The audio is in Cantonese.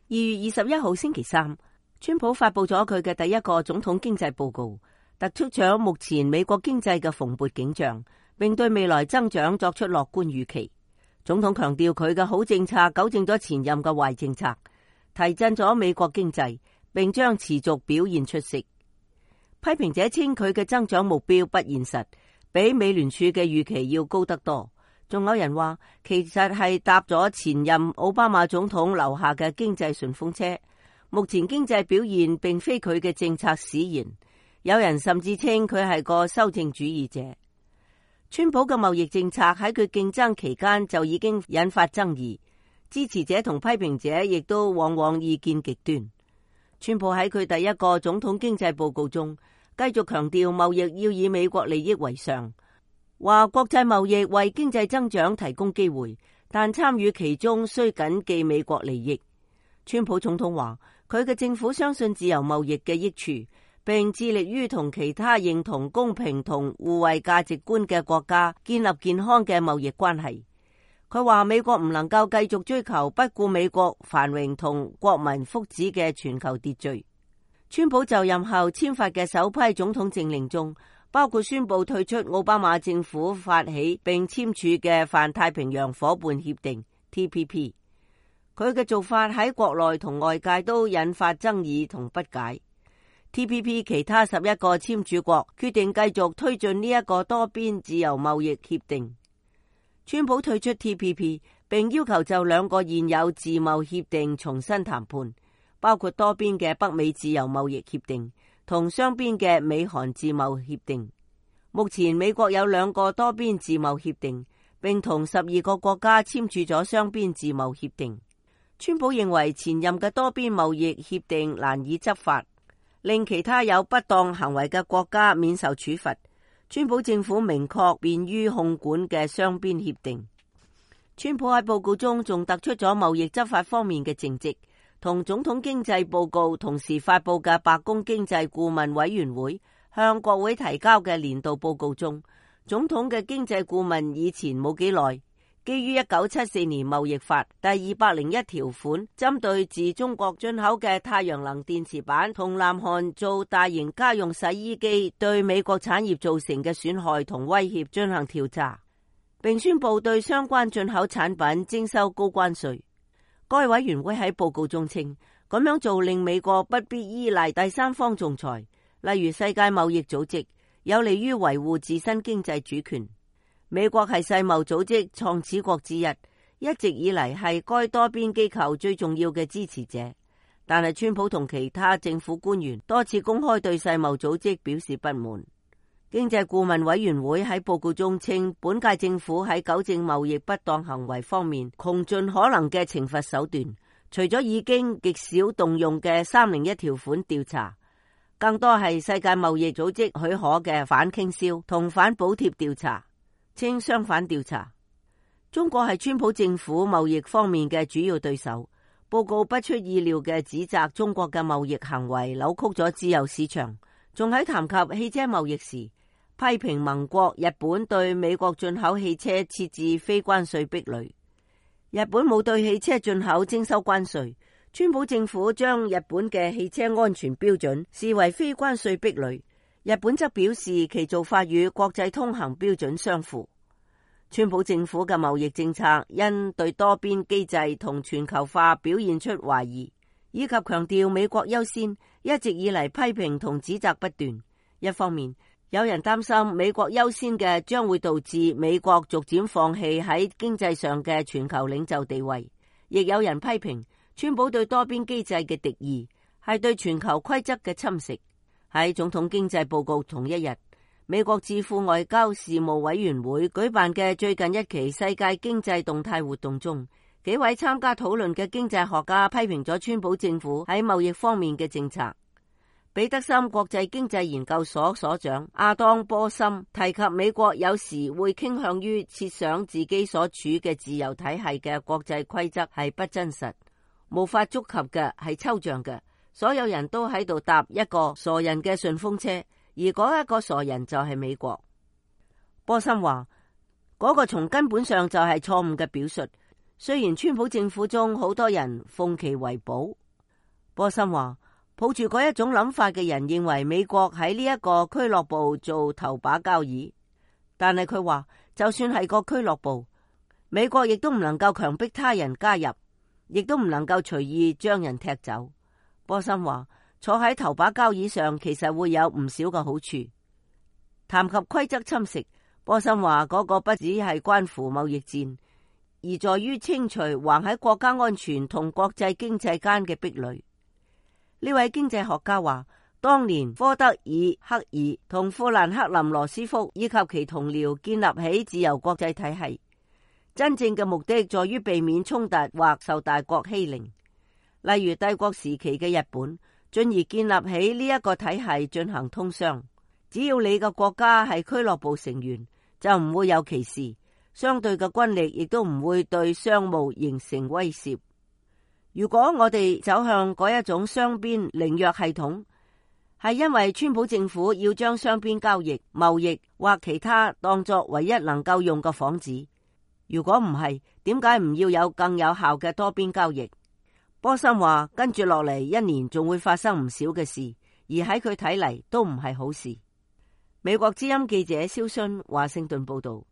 2月21號星期三，川普發佈咗佢嘅第一個總統經濟報告，突出咗目前美國經濟嘅蓬勃景象，並對未來增長作出樂觀預期。總統強調佢嘅好政策糾正咗前任嘅壞政策，提振咗美國經濟，並將持續表現出色。批評者稱佢嘅增長目標不現實，比美聯儲嘅預期要高得多。仲有人話，其實係搭咗前任奧巴馬總統留下嘅經濟順風車。目前經濟表現並非佢嘅政策使然，有人甚至稱佢係個修正主義者。川普嘅貿易政策喺佢競爭期間就已經引發爭議，支持者同批評者亦都往往意見極端。川普喺佢第一個總統經濟報告中，繼續強調貿易要以美國利益為上，話國際貿易為經濟增長提供機會，但參與其中需謹記美國利益。川普總統話，佢嘅政府相信自由貿易嘅益處，並致力於同其他認同公平同互惠價值觀嘅國家建立健康嘅貿易關係。佢話美國唔能夠繼續追求不顧美國繁榮同國民福祉嘅全球秩序。川普就任後簽發嘅首批總統政令中，包括宣布退出奧巴馬政府發起並簽署嘅泛太平洋夥伴協定 TPP。佢嘅做法喺國內同外界都引發爭議同不解。TPP 其他11個簽署國決定繼續推進呢一個多邊自由貿易協定。川普退出 TPP， 並要求就2個現有自貿協定重新談判，包括多邊嘅北美自由貿易協定同雙邊嘅美韓自貿協定。目前美國有2個多邊自貿協定，並同12個國家簽署咗雙邊自貿協定。川普認為前任嘅多邊貿易協定難以執法，令其他有不當行為嘅國家免受處罰。川普政府明確便於控管嘅雙邊協定。川普喺報告中仲突出咗貿易執法方面嘅政績，同總統經濟報告同時發佈嘅白宮經濟顧問委員會向國會提交嘅年度報告中，總統嘅經濟顧問以前冇幾耐，基於1974年貿易法第201條款，針對自中國進口嘅太陽能電池板同南韓做大型家用洗衣機對美國產業造成嘅損害同威脅進行調查，並宣布對相關進口產品徵收高關稅。該委員會喺報告中稱，咁樣做令美國不必依賴第三方仲裁，例如世界貿易組織，有利於維護自身經濟主權。美國係世貿組織創始國之一，一直以嚟係該多邊機構最重要嘅支持者。但係川普同其他政府官員多次公開對世貿組織表示不滿。經濟顧問委員會喺報告中稱，本屆政府喺糾正貿易不當行為方面窮盡可能嘅懲罰手段，除咗已經極少動用嘅301條款調查，更多係世界貿易組織許可嘅反傾銷同反補貼調查。稱相反調查。中國係川普政府貿易方面嘅主要對手。報告不出意料嘅指責中國嘅貿易行為扭曲咗自由市場，仲喺談及汽車貿易時批評盟國日本對美國進口汽車設置非關稅壁壘。日本冇對汽車進口徵收關稅，川普政府將日本嘅汽車安全標準視為非關稅壁壘。日本則表示其做法與國際通行標準相符。川普政府嘅貿易政策因對多邊機制同全球化表現出懷疑，以及強調美國優先，一直以嚟批評同指責不斷。一方面，有人擔心美國優先嘅將會導致美國逐漸放棄喺經濟上嘅全球領袖地位，亦有人批評川普對多邊機制嘅敵意係對全球規則嘅侵蝕。喺總統經濟報告同一日，美國智庫外交事務委員會舉辦嘅最近一期世界經濟動態活動中，幾位參加討論嘅經濟學家批評咗川普政府喺貿易方面嘅政策。彼得森國際經濟研究所所長阿當波森提及，美國有時會傾向於設想自己所處嘅自由體系嘅國際規則係不真實，無法觸及嘅，係抽象嘅。所有人都喺度搭一個傻人嘅順風車，而嗰一個傻人就係美國。波森話，嗰個從根本上就係錯誤嘅表述。雖然川普政府中好多人奉其為寶，波森話抱住嗰一種諗法嘅人認為美國喺呢一個俱樂部做頭把交椅，但係佢話就算係個俱樂部，美國亦都唔能夠強迫他人加入，亦都唔能夠隨意將人踢走。波森話坐喺頭把交椅上其實會有唔少嘅好處。談及規則侵蝕，波森話嗰個不只係關乎貿易戰，而在於清除橫喺國家安全同國際經濟間嘅壁壘。呢位經濟學家話，當年科德爾克爾同富蘭克林羅斯福以及其同僚建立起自由國際體系，真正嘅目的在於避免衝突或受大國欺凌，例如帝國時期嘅日本，進而建立起呢一個體系進行通商。只要你嘅國家係俱樂部成員，就唔會有歧視，相對嘅軍力亦都唔會對商務形成威懾。如果我哋走向嗰一種雙邊凌弱系統，係因為川普政府要將雙邊交易、貿易或其他當作唯一能夠用嘅幌子。如果唔係，點解唔要有更有效嘅多邊交易？波森話跟住落嚟一年仲會發生唔少嘅事，而喺佢睇嚟都唔係好事。美國之音記者蕭勳華盛頓報道。